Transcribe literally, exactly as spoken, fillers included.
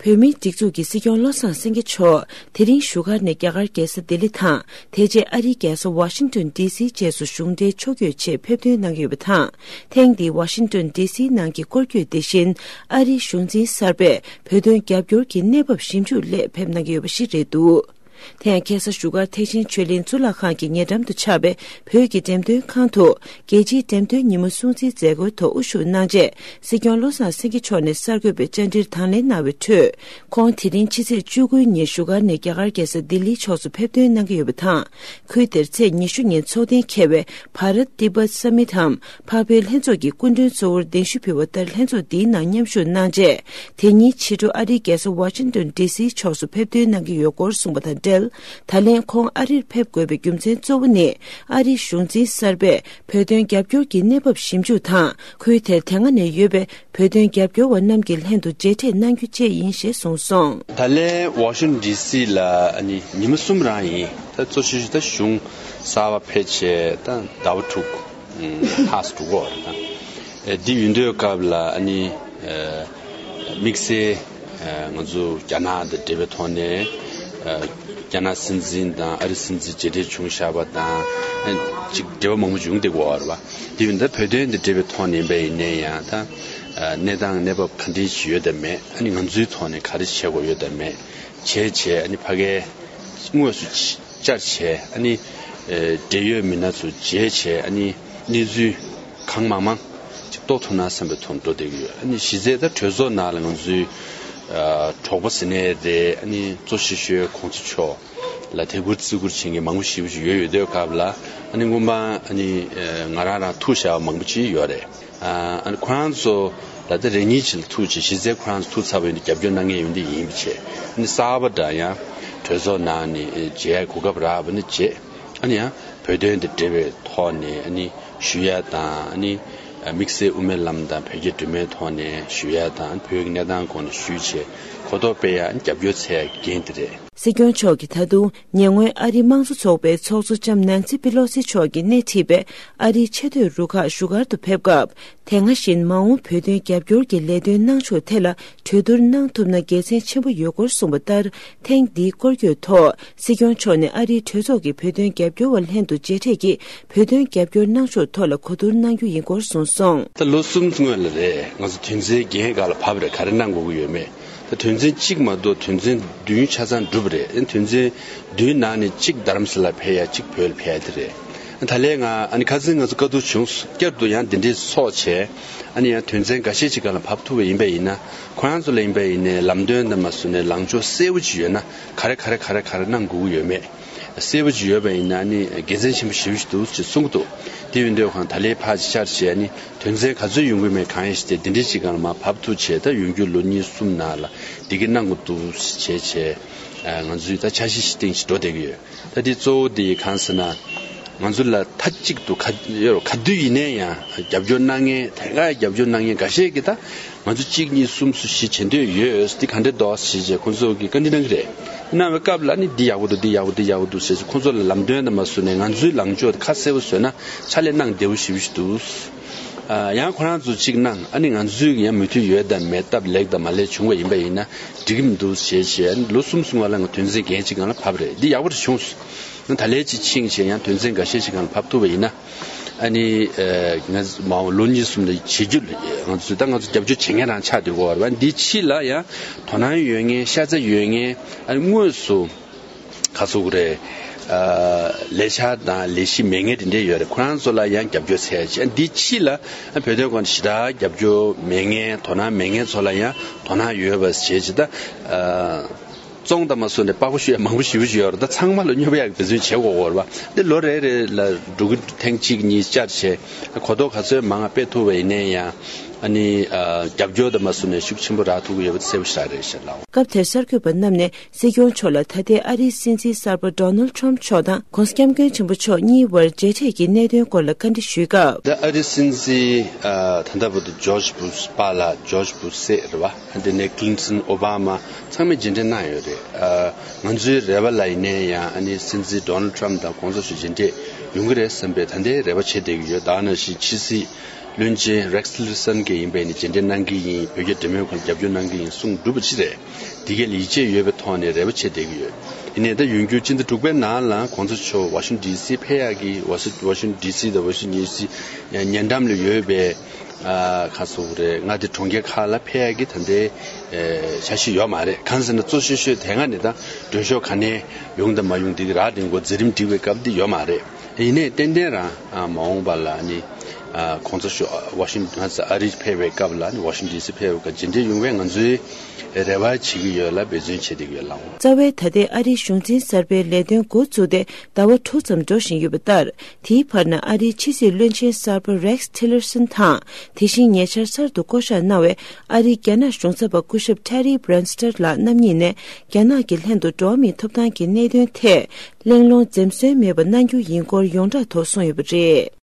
བོད་མིའི་སྒྲིག་འཛུགས་ཀྱི་སྲིད་སྐྱོང་བློ་བཟང་སེང་གེ་མཆོག་དེ་རིང་བཞུགས་སྒར་ནས་རྒྱ་གར་རྒྱལ་ས་ལྡི་ལི་དང་། དེ་རྗེས་ཨ་རིའི་རྒྱལ་ས་ཝ་ཤིང་ཏོན་ཌི་སིའི་བཅས་སུ་གཞུང་འབྲེལ་ཕྱོགས་བསྐྱོད་ཆེད་ཕེབས་ཐོན་གནང་གི་ཡོད་པ་དང་། ཐེངས་འདིའི་ཝ་ཤིང་ཏོན་ཌི་སིའི་ནང་གི་སྐོར་སྐྱོད་དེ་བཞིན་ཨ་རིའི་གཞུང་འཛིན་གསར་པས་བོད་དོན་རྒྱབ་སྐྱོར་གྱི་གནས་བབ་ཞིབ་འཇུག་སླད་ཕེབས་གནང་གི་ཡོད་པ་ཞིག་རེད་འདུག་དེ་ཡང་ཁ་སང་བཞུགས་སྒར་ཐེག་ཆེན་ཆོས་གླིང་གཙུག་ལག་ཁང་གི་ཉེ་འགྲམ་དུ་ཆགས་པའི་བོད་ཀྱི་འགྲེམས་སྟོན་ཁང་དུ། རྒྱལ་སྤྱིའི་འགྲེམས་སྟོན་ཉིན་མོ་སྲུང་བརྩིའི་མཛད་སྒོའི་ཐོག་དབུ་བཞུགས་གནང་རྗེས། སྲིད་སྐྱོང་བློ་བཟང་སེང་གེ་མཆོག་ནས་གསར་འགོད་པའི་བཅར་འདྲིར་དང་ལེན་གནང་བའི་ཁྲོད། ཁོང་དེ་རིང་ཕྱི་ཚེས་བཅུ་དགུ་ཉིན་བཞུགས་སྒར་ནས་རྒྱ་གར་རྒྱལ་ས་ལྡི་ལིའི་ཕྱོགས་སུ་ཕེབས་ཐོན་གནང་གི་ཡོད་པ་དང་། ཁུལ་དེར་ཚེས་ཉི་ཤུ་ཉིན་འཚོགས་གཏན་འཁེལ་བའི་བྷ་རཏ་ཏི་བྷཏ་སམ་མིཊ་འམ། འཕགས་བོད་ལྷན་ཚོགས་ཀྱི་སྐུ་མགྲོན་གཙོ་བོར་གདན་ཞུ་ཕུལ་བ་ལྟར། ལྷན་ཚོགས་འདིའི་ནང་མཉམ་ཞུགས་གནང་རྗེས། དེ་ཉིན་ཕྱི་དྲོ་ཨ་རིའི་རྒྱལ་ས་ཝ་ཤིང་ཏོན་ཌི་སིའི་ཕྱོགས་སུ་ཕེབས་ཐོན་གནང་གི་ཡོད་སྐོར་གསུངས་པ་དང་འབྲེལ། ད་ལན་ཁོང་ཨ་རིར་ཕེབས་དགོས་པའི་རྒྱུ་མཚན་གཙོ་བོ་ནི། ཨ་རིའི་གཞུང་འཛིན་གསར་པས་བོད་དོན་རྒྱབ་སྐྱོར་གྱི་གནས་བབ་ཞིབ་འཇུག་དང་། ཁུལ་དེར་དེ་སྔ་ནས་ཡོད་པའི་བོད་དོན་རྒྱབ་སྐྱོར་བ་རྣམས་ཀྱི་ལྷན་དུ་མཇལ་འཕྲད་གནང་རྒྱུ་བཅས་ཡིན་ཞེས་གསུངས་སོང་། ད་ལན་ཝ་ཤིང་ཏོན་ཌི་སི་ལ་ཨ་ནི་ཉི་མ་གསུམ་རང་ཡིན། ད་གཙོ་ཆེ་ཤོས་ད་གཞུང་གསར་པ་ཕེབས་བྱས་ད་ཟླ་བ་དྲུག་ལྷག་ཙམ་འགྲོ་གི་རེད། ད་འདི་ཡིན་དུས་སྐབས་ལ་ཨ་ནི་དམིགས་བསལ་ང་ཚོ་རྒྱ་ནག་དང་འབྲེལ་བའི་ཐོག་ནས་རྒྱ་ནག་སྲིད་འཛིན་དང་ཨ་རི་སྲིད་འཛིན་མཇལ་འཕྲད་བྱུང་བཞག་པ་དང་ཅིག་འབྲེལ་བ་མང་པོ་བྱུང་བསྡད་ཀྱི་ཡོད་རེད་པ། དེ་ཡིན་ད་བོད་དོན་དང་འབྲེལ་བའི་ཐོག་ནས་ཡིན་པ་ཡིན་ནའི་ཡང་ད་གནས་སྟངས་གནས་བབ་ག་འདྲ་ཞིག་ཡོད་དམ་མེད། ཨ་ནི་ང་ཚོའི་ཐོག་ནས་ག་རེ་བྱེད་དགོས་ཡོད་དམ་མེད་བྱས་བྱས། ཨ་ནི་ཕ་གིའི་དངོས་སུ་བཅར་བྱས། ཨ་ནི་འབྲེལ་ཡོད་མི་སྣ་ཚོ་མཇལ་བྱས། ཨ་ནི་གནས་ཚུལ་གང་མང་མང་ཅིག་རྟོགས་ཐུབ་ན་བསམ་པའི་ཐོག་འགྲོ་བསྡད་ཀྱི་ཡོད། ཨ་ནི་གཞི་རྩའི་ད་གྲོས་ཚོགས་ནང་ལ་ང་ཚོའི་གྲོགས་པོ་ཟེར་ནའི་རེད། ཨ་ནི་གཙོ་ཆེ་ཤོས་གོང་ས་མཆོག་ལ་དད་བཀུར་བརྩི་བཀུར་བྱེད་མཁན་མང་པོ་ཞེ་པོ་ཅིག་ཡོད་ཡོད་དུས་སྐབས་ལ། ཨ་ནི་སྔོན་མ་ཨ་ནི་ང་རང་རང་ཐུག་བཞག་པ་མང་པོ་ཅིག་ཡོད་རེད། ཨ་ནི་ཁོ་རང་ཚོ་ལ་ད་རེ་གཉིས་ཅིག་ལ་ཐུག་བྱས། གཞི་རྩའི་ཁོ་རང་ཚོ་ཐུག་ཚར་བ་ཡིན་དུས་རྒྱབ་སྐྱོར་གནང་མཁན་ཡོང་དུས་ཡིན་པ་བྱས། ཨ་ནི་གསར་པ་འདྲ་ཡང་གྲོས་ཚོགས་ནང་ནས་མཇལ་གོ་སྐབས་རག་པ་ནི་བྱས། ཨ་ནི་ཡང་བོད་དོན་དང་འབྲེལ་བའི་ཐོག་ནས་ཨ་ནི་ཞུ་ཡ་དང་། ཨ་ནི་དམིགས་བསལ་དབུ་མའི་ལམ་དང་བོད་རྒྱ་འབྲེལ་མོལ་ཐོག་ནས་ཞུ་ཡ་དང་། བོད་ཀྱི་གནས་སྟངས་སྐོར་ནས་ཞུས་བྱས་གོ་རྟོགས་སྤེལ་ཡ་ཨ་ནི་རྒྱབ་སྐྱོར་འཚོལ་ཡ་གི་འགན་དེ་རེད། སྲིད་སྐྱོང་མཆོག་གིས་ད་དུང་ཉེ་སྔོན་ཨ་རིའི་དམངས་གཙོ་ཚོགས་པའི་ཚོགས་གཙོ་ལྕམ་ནན་སི་པི་ལོ་སི་མཆོག་གིས་སྣེ་ཁྲིད་པའི་ཨ་རིའི་ཆེས་མཐོའི་རུ་ཁག་བཞུགས་སྒར་དུ་ཕེབས་སྐབས། དེ་སྔ་བཞིན་མ་འོངས་བོད་དོན་རྒྱབ་སྐྱོར་གྱི་ལས་དོན་གནང་ཕྱོགས་ཐད་ལ་གྲོས་བསྡུར་གནང་ཐུབ་ན་དགེ་མཚན་ཆེན་པོ་ཡོད་སྐོར་གསུངས་པ་ལྟར། ཐེངས་འདིའི་སྐོར་སྐྱོད་ཐོག་སྲིད་སྐྱོང་མཆོག་ནས་ཨ་རིའི་གྲོས་ཚོགས་ཀྱི་བོད་དོན་རྒྱབ་སྐྱོར་བ་ལྷན་དུ་མཇལ་འཕྲད་ཀྱིས་བོད་དོན་རྒྱབ་སྐྱོར་གནང་ཕྱོགས་ཐོག་ལ་གོ་བསྡུར་གནང་རྒྱུ་ཡིན་སྐོར་གསུངས་སོང་། ད་ལོ་གསུམ་སྔོན་ལ་རེད། ང་ཚོ་དོན་ཚན་བརྒྱད་སྒང་ལ་བབས་རེད། ག་རེ་གནང་དགོས་ཀྱི་ཡོད་མེད། ད་དོན་ཚན་གཅིག་མ་གཏོགས་དོན་ཚན་བདུན་ཆ་ཚང་གྲུབ་རེད། ཨ་ནི་དོན་ཚན་བདུན་ནང་ནས་གཅིག་རྡ་རམ་ས་ལ་ཕེབས་ཡ། གཅིག་བོད་ལ་ཕེབས་ཡ་དེ་རེད། ཨ་ད་ལན་ང་ཨ་ནི་ཁ་སང་ང་ཚོ་བཀའ་བསྡུར་བྱུང་། བསྐྱར་དུ་ཡང་འདི་འདྲའི་ཚོགས་བྱས། ཨ་ནི་ཡང་དོན་ཚན་འགའ་ཤས་ཅིག་སྒང་ལ་བབས་ཐུབ་པ་ཡིན་པ་ཡིན་ན། ཁོ་རང་ཚོ་ལ་ཡིན་པ་ཡིན་ནའི་ལམ་སྟོན་དང་མ་སུ་ནས་ལངས་ཕྱོགས་གསལ་པོ་ཅིག་ཡོད་ན། ག་རེ་ག་རེ་ག་རེ་ག་རེ་གནང་དགོས་ཀྱི་ཡོད་མེད་གསལ་པོ་ཅིག་ཡོད་པ་ཡིན་ན་ཨ་ནི་དགེ་མཚན་ཆེན་པོ་ཞེ་པོ་ཅིག་འདུག་ཅེས་གསུང་གི་འདུག་དེ་ཡིན་དུས་ཁོང་ད་ལན་ཕར་ཅིག་བཅར་བྱས། ཨ་ནི་དོན་ཚན་ག་ཚོད་ཡོང་གི་མེད་གང་ཡིན་ཞིག་དེ་འདི་འདྲའི་ཅིག་སྒང་ལ་མར་བབས་ཐུབ་བྱས། ད་ཡོང་རྒྱུ་ལོ་གཉིས་གསུམ་ནང་ལ་འདི་གི་གནང་དགོས་འདུག་བྱས་བྱས། ང་ཚོས་ད་འཆར་གཞི་ཞིག་བཏིང་བྱས་འགྲོ་བསྡད་ཀྱི་ཡོད། ད་དེ་གཙོ་བོ་དེ་གང་ཟེར་ན། ང་ཚོ་ལ་མཐའ་གཅིག་ཏུ་ག་ཡོད་ག་དུས་ཡིན་ནའི་ཡང་རྒྱབ་སྐྱོར་གནང་མཁན། དེ་ག་རྒྱབ་སྐྱོར་གནང་མཁན་འགའ་ཤས་ཀྱིས་ད་ང་ཚོ་གཅིག་གཉིས་གསུམ་བཞི་བྱེད་འདོད་ཡོད། འདི་ག་འདྲ་འདུག་ཟེར་བྱས་ཁོང་ཚོ་གིས་བཀའ་འདྲི་གནང་གི་རེད། གནང་བའི་སྐབས་ལ་ནི་འདི་ཡག་པོ་འདུག་འདི་ཡག་པོ་འདི་ཡག་པོ་འདུག་ཟེར་བྱས་ཁོང་ཚོ་ལ་ལམ་སྟོན་དང་མ་སུ་ནས་ང་ཚོའི་ལངས་ཕྱོགས་ཁ་གསལ་པོ་བཟོས་ན་ཕྱག་ལས་གནང་བདེ་པོ་ཞེ་པོ་ཞིག་འདུག་ཡང་ཁོ་རང་ཚོ་གཅིག་གནང་། ཨ་ནི་ང་ཚོས་ཡང་མོས་མཐུན་ཡོད་དམ་མེད། སྟབས་ལེགས་དང་མ་ལེགས་བྱུང་བ་ཡིན་པ་ཡིན་ན་འགྲིག་གི་མི་འདུག་ཞེས་བྱས། ལོ་གསུམ་སོང་བ་ལ་ང་དོན་ཚན་བརྒྱད་ཅིག་སྒང་ལ་བབས་རེད། འདི་ཡག་པོ་རེད་བྱུང་སོང་། ད་ལན་ཅིག་ཕྱིན་བྱས་ཡང་དོན་ཚན་འགའ་ཤས་ཤིག་སྒང་ལ་བབས་ཐུབ་པ་ཡིན་ན། ཨ་ནི་ང་མ་འོངས་ལོ་གཉིས་གསུམ་ལ་བྱེད་རྒྱུ་ང་ཚོས་ད་ང་ཚོ་རྒྱབ་སྐྱོར་བྱེད་མཁན་རང་ཆགས་བསྡད་ཀྱི་ཡོད་རེད་པ། འདི་ཕྱི་ལ་ཡང་དོ་སྣང་ཡོད་མཁན། ཤ་ཚ་ཡོད་མཁན། ཨ་ནི་དངོས་སུ་ག་ཚོད་རེད། ལས་འཆར་དང་ལས་གཞི་མེད་མཁན་དེ་འདྲས་ཡོད་རེད། ཁོ་རང་ཚོ་ལ་ཡང་རྒྱབ་སྐྱོར་འཚོལ་ཡ་བྱས། འདི་ཕྱི་ལ་བོད་དོན་སྐོར་ཞེ་དྲག་རྒྱབ་སྐྱོར་མེད་མཁན། དོ་སྣང་མེད་མཁན་ཚོ་ལ་ཡང་དོ་སྣང་ཡོད་པ་བྱས་བྱས། ད་བཙོང་དང་མ་སོ་ནས་པགས་པ་བཤུ་ཡ་མང་པོ་ཞེ་པོ་ཅིག་ཡོད་རེད། ད་ཚང་མ་ལ་སྙོབ་ཡག་གི་འབད་བརྩོན་བྱེད་དགོས་ཀྱི་ཡོད་རེད་པ། འདི་ལོ་རེ་རེ་ལ་འགྲོ་གི། ཐེངས་གཅིག་གཉིས་བཅར་བྱས་གོ་རྟོགས་ག་ཚོད་མང་ང་སྤེལ་ཐུབ་པ་ཡིན་ནའི་ཡང་། ཨ་ནི་རྒྱབ་སྐྱོར་དང་མ་སོ་ནས་ཤུགས་ཆེན་པོ་རག་ཐུབ་ཀྱི་ཡོད་པ་གསལ་པོ་ཞེ་དྲག་རེད་ཤག་ལགས། སྐབས་དེར་གསར་འགོད་པ་རྣམས་ནས་སྲིད་སྐྱོང་མཆོག་ལ་ད་ལྟའི་ཨ་རིའི་སྲིད་འཛིན་གསར་པ་ཌོ་ནལ་ཊམ་མཆོག་དང་༧གོང་ས་༧སྐྱབས་མགོན་ཆེན་པོ་མཆོག་གཉིས་དབར་མཇལ་འཕྲད་ཀྱི་གནད་དོན་སྐོར་ལ་བཀའ་འདྲི་ཞུས་སྐབས། ད་ཨ་རིའི་སྲིད་འཛིན་ད་ལྟ་བར་དུ་ཇོརྗ་བུ་ཤ་པཱ་ལགས། ཇོརྗ་བུ་ཤ་སྲས་རེད་པ། དེ་ནས་ཀི་ལིན་ཊོན། ཨོ་བྷ་མ་ཚང་མས་མཇལ་འཕྲད་གནང་ཡོད་རེད། ང་ཚོའི་རེ་བ་ལ་ཡིན་ནའི་ཡང་ཨ་ནི་སྲིད་འཛིན་ཌོ་ནལ་ཊམ་དང་༧གོང་ས་མཆོག་མཇལ་འཕྲད་ཡོང་གི་རེད་བསམ་པའི་ད་ལྟའི་རེ་བ་བྱེད་བསྡད་ཀྱི་ཡོད། ད་ནང་བཞིན་ཕྱི་སྲིད་ བློན་ཆེན་Rex Tillerson གིས་ཡིན་པས་ནི་རྗེས་འདེད་གནང་གི་ཡིན། བོད་རྒྱ་འབྲེལ་མོལ་ཁང་རྒྱབ་སྐྱོར་གནང་གི་ཡིན་གསུངས་འདུག་པ་ཅི་རེད། དེ་གས་ལ་ཡིད་ཆེས་ཡོད་པའི་ཐོག་ནས་རེ་བ་བྱེད་བསྡད་ཀྱི་ཡོད། ཡིན་ནའི་ད་ཡོང་རྒྱུ་སྤྱི་ཟླ་དྲུག་པའི་ནང་ལ་གོང་ས་མཆོག་Washington D C ཕེབས་ཡག་གི་Washington D C དང་Washington D C ཉེ་འགྲམ་ལ་ཡོད་པའི་ཨ་ག་ཟེར་དགོས་རེད། མངའ་སྡེ་གྲོང་ཁྱེར་ཁག་ལ་ཕེབས་ཡག་གི་ད་ལྟའི་ཨ་འཆར་གཞི་ཡོད་མ་རེད། གང་ཟེར་ན་གཙོ་ཤོས་ཤོས་དེ་སྔ་ནས་ད་མགྲོན་ཤོག་ག་ནས་ཡོང་དང་མ་ཡོང་དེ་གི་རག་དེ་གོ་མཛད་རིམ་སྒྲིག་པའི་སྐབས་འདི་ཡོད་མ་རེད། ཡིན་ནའི་ཏན་ཏན་རང་ཨ་མ་འོངས་པ་ལ་ནི་ཨ་གོང་ས་མཆོག་Washington ཨ་རི་ཕེབས་པའི་སྐབས་ལ་ནི་Washington D C ཕེབས་པའི་སྐབས་རྗེས་འདེད་ཡོང་བའི་ང་ཚོའི་རེ་བ་བྱེད་ཀྱི་ཡོད་ལ་འབད་བརྩོན་བྱེད་བསྡད་ཀྱི་ཡོད་ལགས། རྩ་བའི་ད་ལྟའི་ཨ་རིའི་གཞུང་འཛིན་གསར་པའི་ལས་དོན་འགོ་བཙུགས་ཏེ་ཟླ་བ་དྲུག་ཙམ་འགྲོ་བཞིན་ཡོད་པ་ལྟར། དེའི་བར་ན་ཨ་རིའི་ཕྱི་སྲིད་བློན་ཆེན་གསར་པ་Rex Tillerson དང་། དེ་བཞིན་ཉེ་ཆར་གསར་དུ་བསྐོ་གཞག་གནང་བའི་ཨ་རིའི་རྒྱ་ནག་གཞུང་ཚབ་པ་སྐུ་ཞབས་Terry Branstad ལགས་རྣམ་གཉིས་ནས་རྒྱ་ནག་གི་ལྷན་དུ་འགྲོ་བ་མིའི་ཐོབ་ཐང་གི་གནད་དོན་ཐད་གླེང་སློང་འཛེམ་ཟོན་མེད་པ་གནང་རྒྱུ་ཡིན་སྐོར་ཡོངས་གྲགས་ཐོག་གསུངས་ཡོད་པ་རེད།